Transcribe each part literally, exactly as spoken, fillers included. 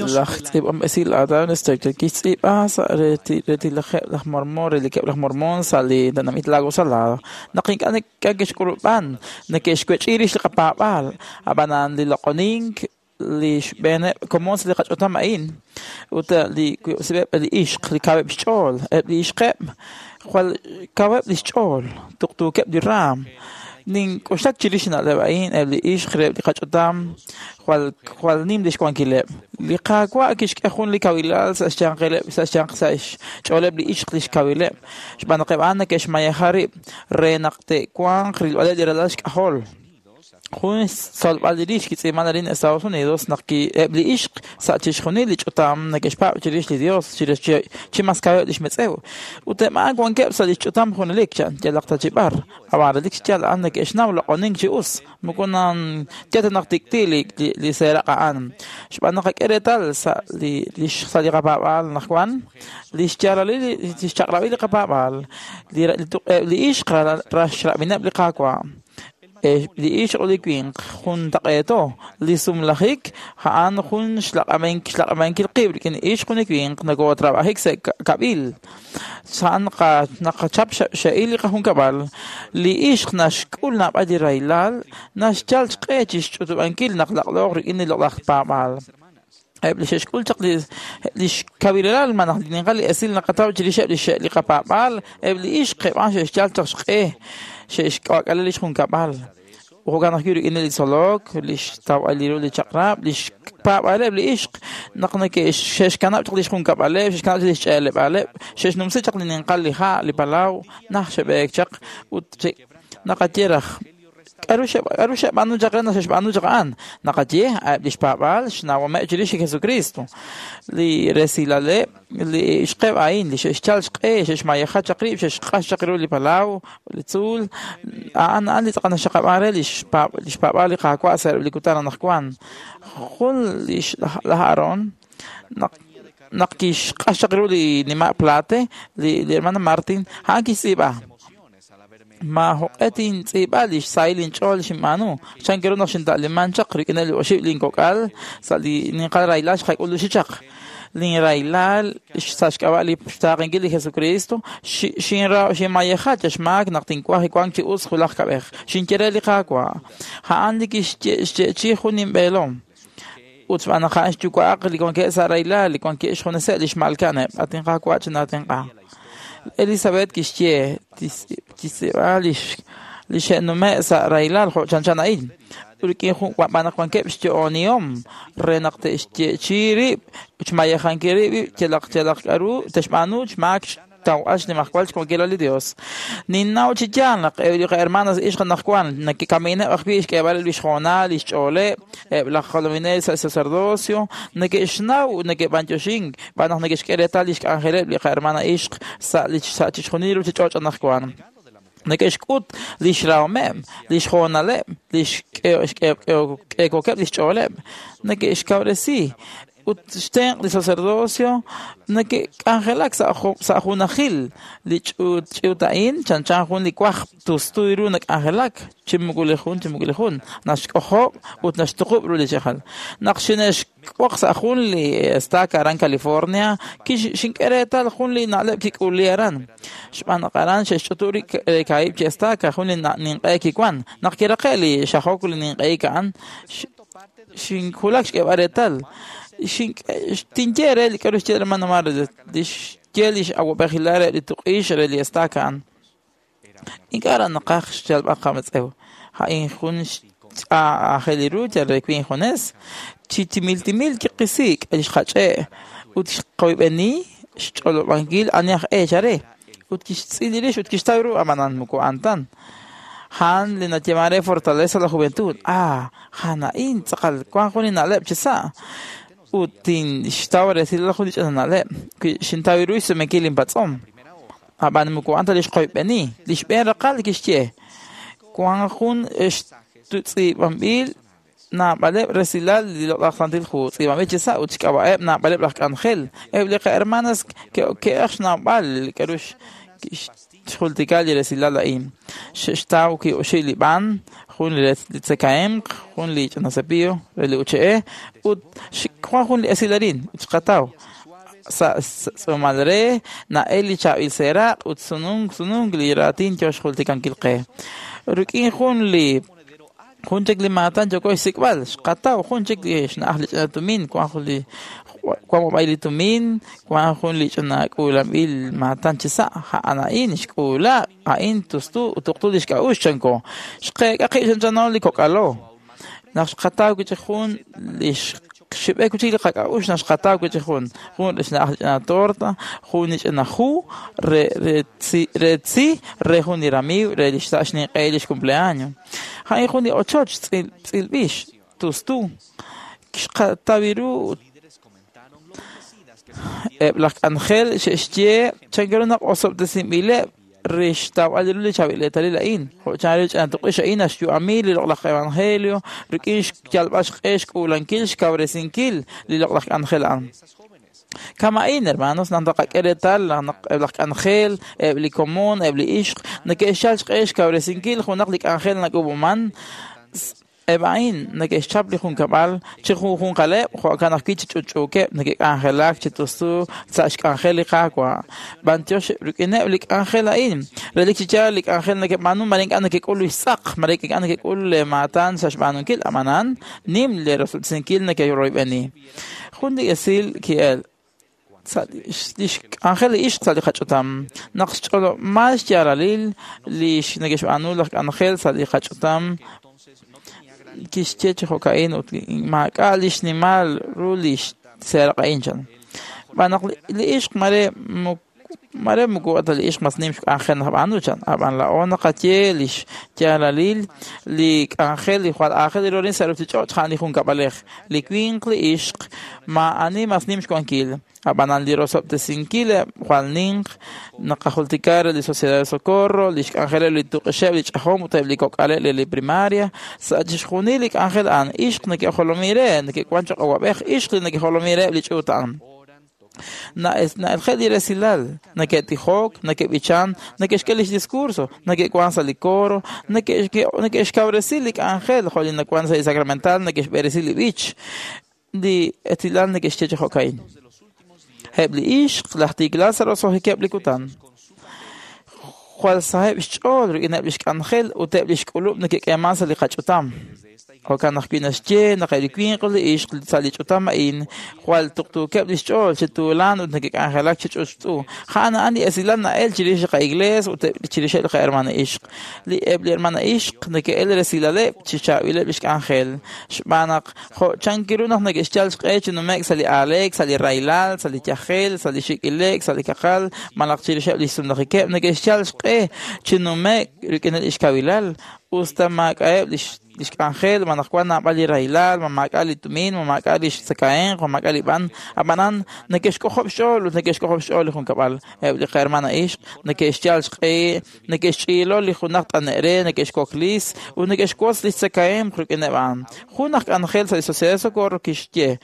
Laj tz'iib'anb'esil Adam Stegner kixtz'iib'a sa' retilajeb' laj Mormon, relikeb' laj Mormon sa' li tenamit Lago Salado, naq ink'a' neke'xk'ulub'an, neke'xwech'i rix li qapaab'aal, ab'anan li loq'onink li xb'eeneb' komon sa' li qach'utam a'in ut li eb' li ixq li kaweb' xch'ool, eb' li ixqeb' jwal kaweb' li xch'ool, tuqtuukeb' li raam. Nink'oxlak chirix na'leb' a'in, eb' li ixq reheb' li qach'utam jwal jwal nim lix wankileb'. Li Qaawa' kixk'e jun li kawilal sa' xyanqileb' sa' xyanq sa' xch'ooleb' li ixq lix kawileb', xb'aan naq eb' a'an neke'xmayeja rib' re naq te'wanq rilb'aleb' li ralal xk'ajol. Jun xtzolb'al li rix kitz'iib'an arin Estados Unidos naq eb' li ixq sa' chixjunil li ch'utam neke'xpaab' chirix li Dios chirix chi mas kaweb' lix metz'ew. Ut eb' a'an wankeb' sa' lix ch'utam junelik chan yalaq ta chi b'ar. Ab'an relik xyaal a'an neke'xnaw loq'onink chi us. Moko nan yal ta naq tik'ti' li li seeraq' a'an. Xb'aan naq qak'e reetal sa' li sa' li qapaab'aal anaqwan, li xyaalalil li xchaq'rab'il li qapaab'aal, li eb' li ixq raxrab'ineb' li Qaawa'. Li ixq ut li winq juntaq'eeto, li sumlajik a'an jun xlaq'amenkil qib' rik'in ixq ut li winq nokotrab'ajik sa' kab'il. A'an naqachap xe'il li qajunkab'al. Li ixq naxk'ul naab'al li rahilal, naxyal xq'e chi xch'utub'ankil naq laq'looq rik'in li loq'laj paab'aal. Eb' li xe'xk'ul chaq li xkawilal malaj li ninqal li esil naqataw chirixeb' li li qapaab'aal, eb' li ixq eb' a'an xe'xyal chaq xq'e xe'xk'ak'ale li xjunkab'al. Jo'kan ajwi' rik'in li tzolok, li xtawb'al ru li chaq'rab', li xpaab'aaleb' li ixq naq neke'xkanab' chaq li xjunkab'aleb', xe'xkanab' chaq li xch'eeleb'aaleb', xe'xnumsi chaq li ninqal li ha', li palaw, naj xe'b'eek chaq ut naqaye raj k'aru k'aru xe'b'aanu chaq re naq xe'xb'aanu chaq a'an. Naqaye eb' li xpaab'aal xnawomeb' chirix li Jesucristo, li resilaleb' li ixqeb' a'in li xe'xyal xq'e, xe'xmayeja chaq rib', xe'xq'ax chaq ru li palaw, li tzuul, a'an a'an li tz'aqal naxxaqab'an re li xpaab'aal li Qaawa' sa' li kutan anaqwan. Jun li laj Aarón naq naq kixq'ax chaq ru li nima' Plate, li li hermana Martin, a'an kixtz'iib'a. Ma joq'e tintz'iib'a li xsahil inch'ool xinb'aanu. Chan ru naq xinta'liman chaq rik'in li oxib' linkok'al sa' li ninqal rahilal xqak'uluxi chaq. Linrahilal sa' xk'ab'a' li xtaaqenkil li Jesucristo xinra xinmayeja chaxmaak naq tinwaj wank chi us julaj kab'ej. Xinye re li Qaawa'. A'an li kixye'chi jun inb'eelom. Ut xb'aan naq a'an xyuwa'aq li wankeb' sa' rahilal, li wankeb' xjuneseb' li xmalka'aneb'. At inQaawa' chinaatenq'a. Elizabeth kixye kixtz'iib'a li li xe'nume' sa' rahilal jo' chanchan a'in. Rik'in jun b'aan naq wankeb' xyo'onihom re naq te'xye'chi rib', xmayejankil rib' yalaq yalaq k'aru te'xb'aanu xmaak xtawb'al xnimajwal xwankilal li Dios. Ninnaw chi yaal naq eb' li qahermanas ixq anaqwan neke'kamineb' ajwi' xk'eeb'aleb' li xhoonal, li xch'ooleb', eb' laj jolominel sa' sacerdocio neke'xnaw neke'b'antioxink b'aan naq neke'xk'e reetal li xk'anjeleb' li qahermana ixq sa' li sa' chixjunil ruchich'och' anaqwan. Neke'xk'ut li xrahomeb', li xhoonaleb', li xk'eekokeb' li xch'ooleb', neke'xkawresi ut xtenq' li sacerdocio neke'k'anjelak sa' sa' junajil li ch'uut ch'uut a'in chanchan jun li waj tustu ru nak'anjelak chi moko li jun chi moko li jun naxk'ojob' ut naxtuqub' ru li chajal. Naq xine'xk'oq sa' jun li estaca aran California, xink'e reetal jun li na'leb' kik'uli aran. Xb'aan naq aran xe'xch'utu rib' kaahib' chi estaca jun li ninq'e kiwan. Naq kiraqe' li xajok li ninq'ehik a'an, xinkulak xk'eeb'al reetal. Tinye re li k'aru xye hermano Mar li xye li x'awab'ejilal re li tuq'ix re li estaca a'an. Ink'a' ra naqaj xyalb'al qametz'ew. A'in jun aajel ru yal re winq junes. Chi timil timil kiqisik' li xqach'e' ut xqoyb'eni xch'olob'ankil ani aj eech are. Ut kixtz'il rix ut kixtaw ru ab'anan moko a'an tan. Han li nayeeman re Fortaleza la Juventud. Ah, han a'in tz'aqal wank jun li na'leb' chi sa'. Ut tinxtaw resilal jun li ch'ina na'leb'. Xintaw ru xsumenkil inpatz'om. Ab'an moko a'an ta li xqoyb'eni. Li xb'een raqal kixye wank jun tz'iib'anb'il naab'aleb' resilal li loq'laj Santil Hu tz'iib'anb'il chi sa' ut xk'ab'a'eb' naab'aleb' laj k'anjel. Eb' li qahermanas ke'aj xnawb'al k'aru xjultika li resilal a'in. Xe'xtaw ki'oxib' li b'an, jun li tzakahemq, jun li ch'ina cepillo re li uche'e, ut wan jun li esil arin xqataw. Sa' tz'uumal re na'el li chaab'il seeraq' ut sununk sununk li raatin yo xjultikankil qe. Rik'in jun li jun chik li maatan yooko xsik'b'al, xqataw jun chik li xna'aj li ch'ina tumin, wan jun li wan b'ab'ay li tumin, wan jun li ch'ina k'uulanb'il maatan chi sa', a'an a'in xk'uula, a'in tustu ut tuqtu li xk'a'uxl chanko. Xqeek'a qib' chanchano li kok'alo. Naq xqataw wi' chik jun li xib'ek wi' chik li qak'a'uxl naq xqataw wi' chik jun jun li xna'aj li ch'ina torta, jun li ch'ina hu re re tzi re tzi re jun li ramiiw re li xsa' xninq'e li xcumpleaños. A'in jun li ochoch tz'il tz'ilb'ix tustu. Xqataw ru eb' laj k'anjel xe'xye chankiru naq osob'tesinb'ileb' re xtawb'al ru li chaab'il eetalil a'in. Jo' chanru ch'ina tuq'ix a'in naxyu'ami li loq'laj evangelio rik'in xyalb'al xq'e xk'uulankil xkawresinkil li loq'laj k'anjel a'an. Kama'in, hermanos, naq naqak'e reetal naq eb' laj k'anjel, eb' li komon, eb' li ixq neke'xyal xq'e xkawresinkil junaq li k'anjel nak'ub'uman. Eb' a'in neke'xchap li junkab'al chi junjunqaleb' jo'kan ajwi' chi ch'utch'uukeb' neke'k'anjelak chi tustu sa' xk'anjel li Qaawa'. B'antiox rik'ineb' li k'anjel a'in, relik chi yaal li k'anjel neke'b'aanu mare ink'a' nekek'ul li xtz'aq, mare ink'a' nekek'ul le maatan sa' xb'aanunkil, ab'anan nim le rosob'tesinkil neke'royb'eni. Jun li esil ki'el sa' li xk'anjel li ixq sa' li qach'utam. Naq xch'olob'mal xyaalalil li neke'xb'aanu laj k'anjel sa' li qach'utam kixye chi jo'ka'in ut maak'a' li xnimal ru li seeraq' a'in chan. Xb'aan naq li ixq mare mare moko ta li ixq mas nim xk'anjel nab'aanu chan. Ab'an laa'o naqaye li xyaalalil li k'anjel li jwal aajel ru sa' ruuchich'och' a'an li junkab'alej. Li winq li ixq maa'ani mas nim xwankil. Ab'anan li rosob'tesinkil jwal ninq naqajultika re li Sociedad de Socorro, li xk'anjeleb' li tuq'ixeb' li ch'ajom ut eb' li kok'aleb' li primaria. Sa' chixjunil li k'anjel a'an ixq neke'jolomi re, neke'wan choq' awab'ej ixq li neke'jolomi re li ch'uut a'an. Na'elje' li resilal, neke'tijok, neke'b'ichan, neke'xk'e lix discurso, neke'wan sa' li coro, neke'xkawresi li k'anjel jo' li nawan sa' li sacramental, neke'xb'eresi li b'ich. Li esilal neke'xye chi jo'ka'in. Eb' li ixq laj tiklal sa' roso'jikeb' li kutan. Jwal saheb' xch'ool rik'ineb' li xk'anjel ut eb' li xk'ulub' neke'k'eeman sa' li qach'utam. Jo'kan ajwi' naxye naq eb' li winq ut li ixq sa' li ch'utam a'in jwal tuqtuukeb' li xch'ool chi tuulan ut neke'k'anjelak chi ch'utch'u. A'an a'an li esilal na'el chirix li qa'iglees ut chirixeb' li qahermana ixq. Li eb' li hermana ixq neke'el resilaleb' chi chaab'ileb' li xk'anjel. Xb'aan naq jo' chankiru naq neke'xyal xq'e chi nume'k sa' li aaleek, sa' li rahilal, sa' li yajel, sa' li xik'ilek, sa' li kaqal, malaj chirixeb' li xsumlajikeb' neke'xyal xq'e chi nume'k rik'in li xkawilal. Usta maak'a'eb' li xk'anjel, ma naq wan naab'al li rahilal, ma maak'a' li tumin, ma maak'a' li xtzakahemq, ma maak'a' li b'an. Ab'anan neke'xk'ojob' xch'ool ut neke'xk'ojob' xch'ool li junkab'al. Eb' li qahermana ixq neke'xyal xq'e, neke'xch'iilo li junaq t'ane' re, neke'xkoklis ut neke'xwotz li xtzakahemq rik'ineb' a'an. Jun aj k'anjel sa' li Sociedad de Socorro kixye,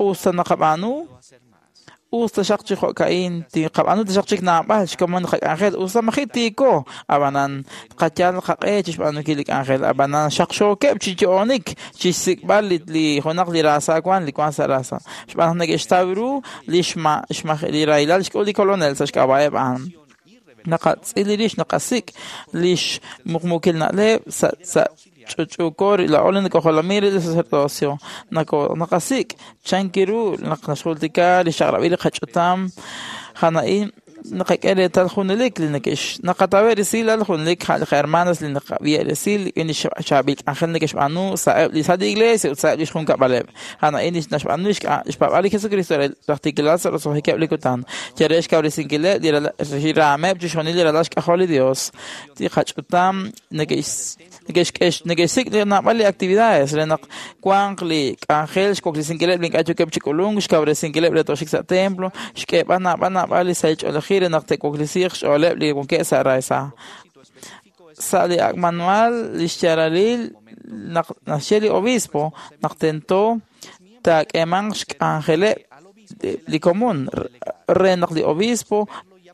usta naqab'aanu, usta xaq chi jo'ka'in, tiqab'aanu ta xaq chik naab'al xkomon li qak'anjel, usta maji' tiiko, ab'anan qayal qaq'e chi xb'aanunkil li k'anjel, ab'anan xaqxookeb' chi yo'onik chi xsik'b'al li li junaq li raasa wan li wan sa' raasa. Xb'aan naq neke'xtaw ru li xma li rahilal xk'ul li kolonel sa' xk'ab'a'eb' a'an. Naqatz'il rix naqasik' li xmuqmuukil na'leb' sa' sa' ch'utch'uuko laa'o li nakojolomi re li sacerdocio. Naqasik' chankiru naq naxjultika li xchaq'rab'il li qach'utam. A'an naqak'e reetal junelik li neke'x naqatawe' resilal junelik li qahermanas li naqab'i resil rik'in li chaab'il k'anjel neke'xb'aanu sa'eb' li sa' li iglesia ut sa'eb' li xjunkab'aleb'. A'an naxb'aanu li xpaab'al li Jesucristo re laj tiklal sa' roso'jikeb' li kutan. Yal re xkawresinkileb' li raameb' chixjunil li ralal xk'ajol li Dios. Li qach'utam neke'xk'e neke'xsik' naab'al li actividades re naq wanq li k'anjel xwaklesinkileb' li ink'a' yookeb' chi k'ulunk, xkawresinkileb' re toxik sa' templo, xk'eeb'al naab'al naab'al li sahil ch'oolejil re naq te'waklesiiq xch'ooleb' li wankeb' sa' raasa. Sa' li ak' manual li xyaalalil naq naxye li obispo naq tento taak'eemanq xk'anjeleb' li komon re naq li obispo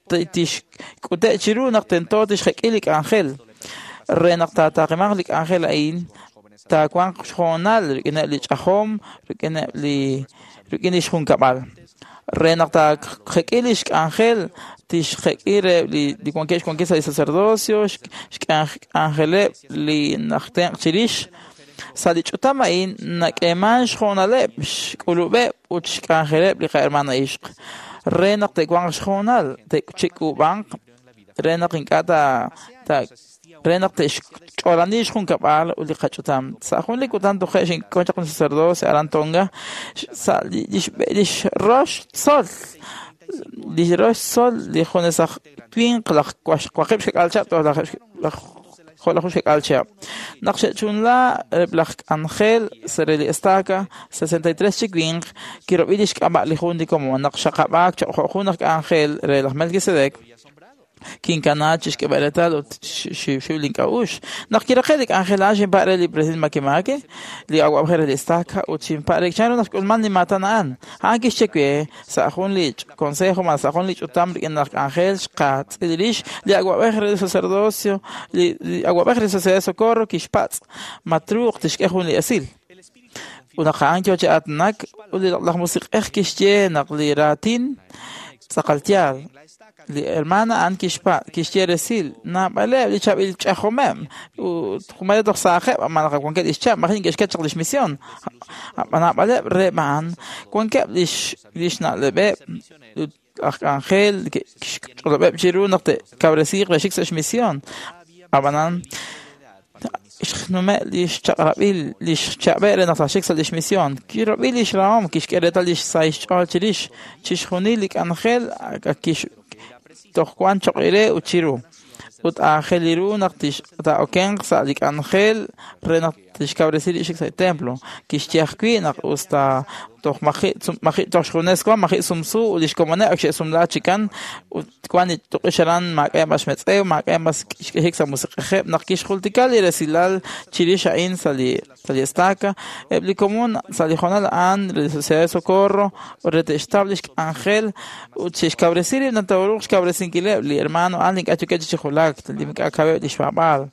tixk'ute' chiru naq tento tixjek'i li k'anjel. Re naq taataaqimanq li k'anjel a'in, taawanq xhoonal rik'ineb' li ch'ajom, rik'ineb' li rik'in lix junkab'al. Re naq taajek'i lix k'anjel, tixjek'i reheb' li li wankeb' xwankil sa' li sacerdocio, xk'anjeleb' li naj tenq' chirix. Sa' li ch'utam a'in nak'eeman xhoonaleb', xk'ulub'eb' ut xk'anjeleb' li qahermana ixq. Re naq te'wanq xhoonal, te'chik'ub'anq, re naq ink'a' ta ta re naq te'xch'oolani xjunkab'al ut li qach'utam. Sa' jun li kutan toje' xink'on chaq jun sacerdocio aran Tonga, sa' lix lix rox tzol, lix rox tzol li junes aj winq laj waqib' xkak'al chihab' toj laj laj jo'laju xkak'al chihab'. Naq xe'chunla eb' laj k'anjel sa' re li estaca, sesenta y tres chi winq, kirob'i lix k'ab'a' li jun li komon. Naq xaqab'aak choq' jo' jun aj k'anjel re laj Melquisedec, kinkana chixk'eb'al reetal ut xiwxiw link'a'uxl. Naq kiraqe' li k'anjel a'an xinpa' re li president Makemake, li awa'b'ej re li estaca, ut xinpa' re chan ru naq xk'ulman li maatan a'an. A'an kixye we sa' jun li consejo malaj sa' jun li ch'utam rik'in laj k'anjel xqatz'il rix li awa'b'ej re li sacerdocio, li awa'b'ej re Sociedad de Socorro kixpatz' ma truuq tixk'e jun li esil. Ut naq a'an yoo chi aatinak, ut li laj musiq'ej kixye naq li raatin tz'aqal yaal. Li hermana a'an kixpa' kixye resil naab'aleb' li chaab'il ch'ajomeb' ut jumare toj saajeb' malaj wankeb' lix chab' maji neke'xket chaq lix misión. Naab'aleb' reheb' a'an wankeb' lix lix na'leb'eb' ut aj k'anjel kixch'olob'eb' chiru naq te'kawresiiq re xik sa' xmisión. Ab'anan xnume' lix chaq'rab'il lix chab'e' re naq taaxik sa' lix misión. Kirob'i lix rahom, kixk'e reetal lix sahil xch'ool chirix chixjunil li k'anjel kix toj wan choq' re ut chiru. Ut aajel ru naq tix taa'okenq sa' li k'anjel re naq tixkawresi li xik sa' li templo. Kixye ajwi' naq us ta toj maji' maji' toj xjunes wan, maji' sumsu ut lix komoneb' ak xe'sumla chikan ut wan li tuq'ix aran maak'a' mas xmetz'ew, maak'a' mas xk'ejik sa' musiq'ejeb'. Naq kixjultika li resilal chirix a'in sa' li sa' li estaca, eb' li komon sa' li hoonal a'an re Sociedad de Socorro re te'xtaw lix k'anjel ut xe'xkawresi rib' naq taaruuq xkawresinkileb' li hermano a'an li ink'a' yookeb' chi julak, li ink'a' kaweb' lix paab'aal.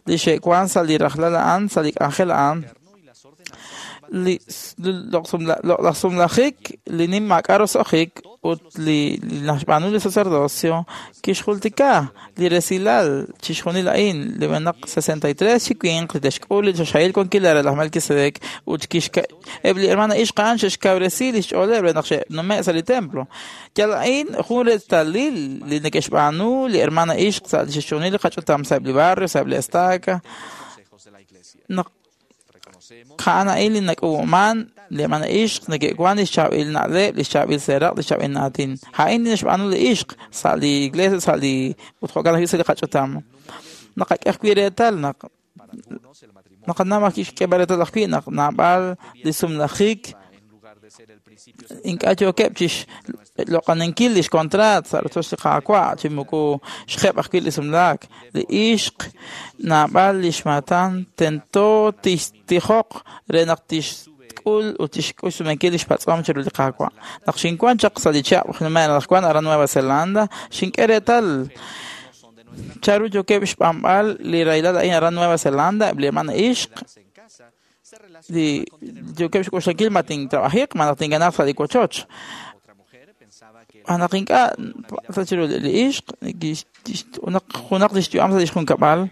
Li xe'wan sa' li rajlal a'an, sa' li k'anjel a'an, li laj sumlajik, li nim maak'a' roso'jik ut li naxb'aanu li sacerdocio kixjultika li resilal chixjunil a'in li b'enaq sesenta y tres chi winq li te'xk'ul li choxahil wankil re laj Melquisedec ut kixka eb' li hermana ixq a'an xe'xkawresi lix ch'ooleb' re naq xe'nume' sa' li templo. Yal a'in jun reetalil li neke'xb'aanu li hermana ixq sa' chixjunil li qach'utam sa' eb' li barrio, sa' eb' li estaca. Naq a'an a'in li nak'uub'man li hermana ixq neke'wan lix chaab'il na'leb', lix chaab'il seeraq', lix chaab'il naatin. A'in li naxb'aanu li ixq sa' li iglesia, sa' li ut jo'kan ajwi' sa' li qach'utam. Naqak'e ajwi' reetal naq naqanaw ajwi' xk'eeb'al reetal ajwi' naq naab'al li sumlajik ink'a' yookeb' chixloq'aninkil lix contrat sa' rochoch li Qaawa' chi moko xjeb' ajwi' li sumlaak. Li ixq naab'al lix maatan tento tixtijoq re naq tixk'ul ut tixk'ul xsumenkil lix patz'om chiru li Qaawa'. Naq xinwan chaq sa' li chihab' nume' anaqwan aran Nueva Zelanda, xink'e reetal chanru yookeb' xb'anb'al li rahilal a'in aran Nueva Zelanda, eb' li hermana ixq li yookeb' xk'oxlankil ma tintrabajiq, ma naq tinganaq sa' li wochoch. Anaq ink'a' sa' chiru li ixq, junaq junaq lix yu'am sa' lix junkab'al,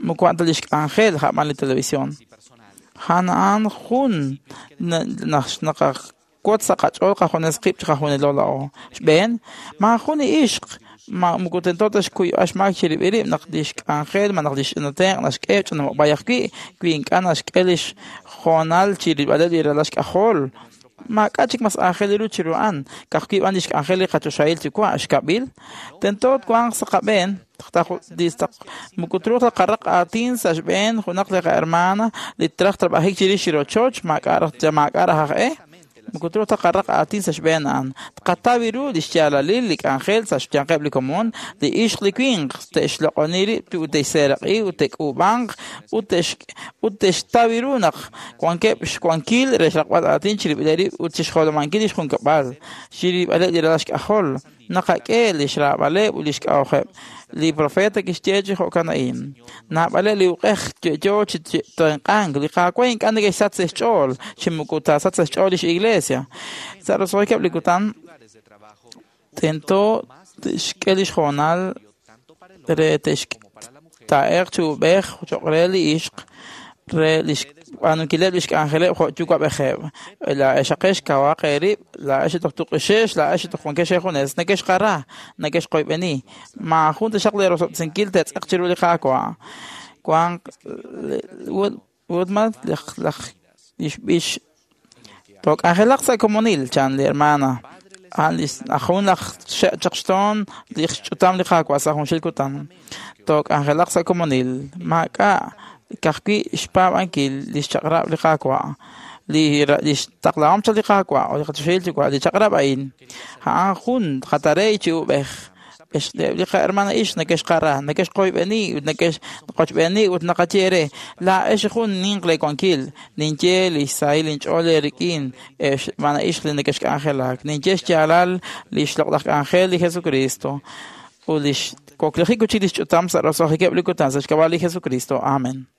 moko a'an ta lix k'anjel ja'b'an li televisión. A'an a'an jun naq naqawotz sa' qach'ool qajunes qib' chiqajunilo la'o. Xb'een, maajun li ixq ma moko tento ta xkuyb'al xmaak chirib'il rib' naq lix k'anjel ma naq lix ch'inatenq' naxk'e ch'inamob'ay ajwi' wi ink'a' naxk'e lix hoonal chirib'aleb' li ralal xk'ajol. Maak'a' chik mas aajel ru chiru a'an, ka'ajwi' b'an lix k'anjel li qachoxahil yuwa' xkab'il, tento twanq sa' qab'een moko truuq ta qaraq aatin sa' xb'een junaq li qahermana li traj trab'ajik chirix li rochoch, maak'a' raj maak'a' raj aj e. Moko truuq ta qaraq aatin sa' xb'een a'an. Tqataw ru li xyaalalil li k'anjel sa' xyanqeb' li komon, li ixq li winq te'xloq'oni rib' ut te'xseeraq'i ut te'k'uub'anq ut te'x ut te'xtaw ru naq wankeb' xwankil re xraqb'al aatin chirib'ileb' rib' ut chixjolomankil lix junkab'al, chirib'aleb' li ralal xk'ajol. Naqak'e lix raab'aleb' ut lix k'a'uxeb'. Li profeta kixye chi jo'kan a'in. Naab'aleb' li uq'ej yo'yo chi tenq'ank. Li Qaawa' ink'a' neke'xsach sa' xch'ool, chi moko taasach sa' xch'ool lix iglesia. Sa' roso'jikeb' li kutan, tento te'xk'e lix hoonal re te'xtaa'eq chi ub'ej cho'q re li ixq re lix b'aanunkileb' lix k'anjeleb' jo' yuwa'b'ejeb'. Laa'ex aqex kawaq eerib', laa'ex toj tuq'ixex, laa'ex toj wankex eejunes, nekexqara, nekexqoyb'eni. Maajun taxaq leerosob'tesinkil te'tz'aq chiru li Qaawa'. Wanq Woodman laj lix b'ix took'anjelaq sa' komonil, chan li hermana. A'an lix jun laj xe' chaq xtoon li xch'utam li Qaawa' sa' junxil kutan. Took'anjelaq sa' komonil. Maak'a' ka'ajwi' xpaab'ankil lix chaq'rab' li Qaawa'. Li lix taqlahom chaq li Qaawa' ut li qachoxahil Yuwa' li chaq'rab' a'in. A'an jun qatarey chi ub'ej. Ex li qahermana ixq nekexqara, nekexqoyb'eni ut nekexqochb'eni ut naqaye re laa'ex jun ninq leewankil. Ninye lix sahil inch'ool eerik'in, ex hermana ixq li nekexk'anjelak. Ninye xyaalal lix loq'laj k'anjel li Jesucristo ut lix waklejik ut lix ch'utam sa' roso'jikeb' li kutan sa' xk'ab'a' li Jesucristo. Amen.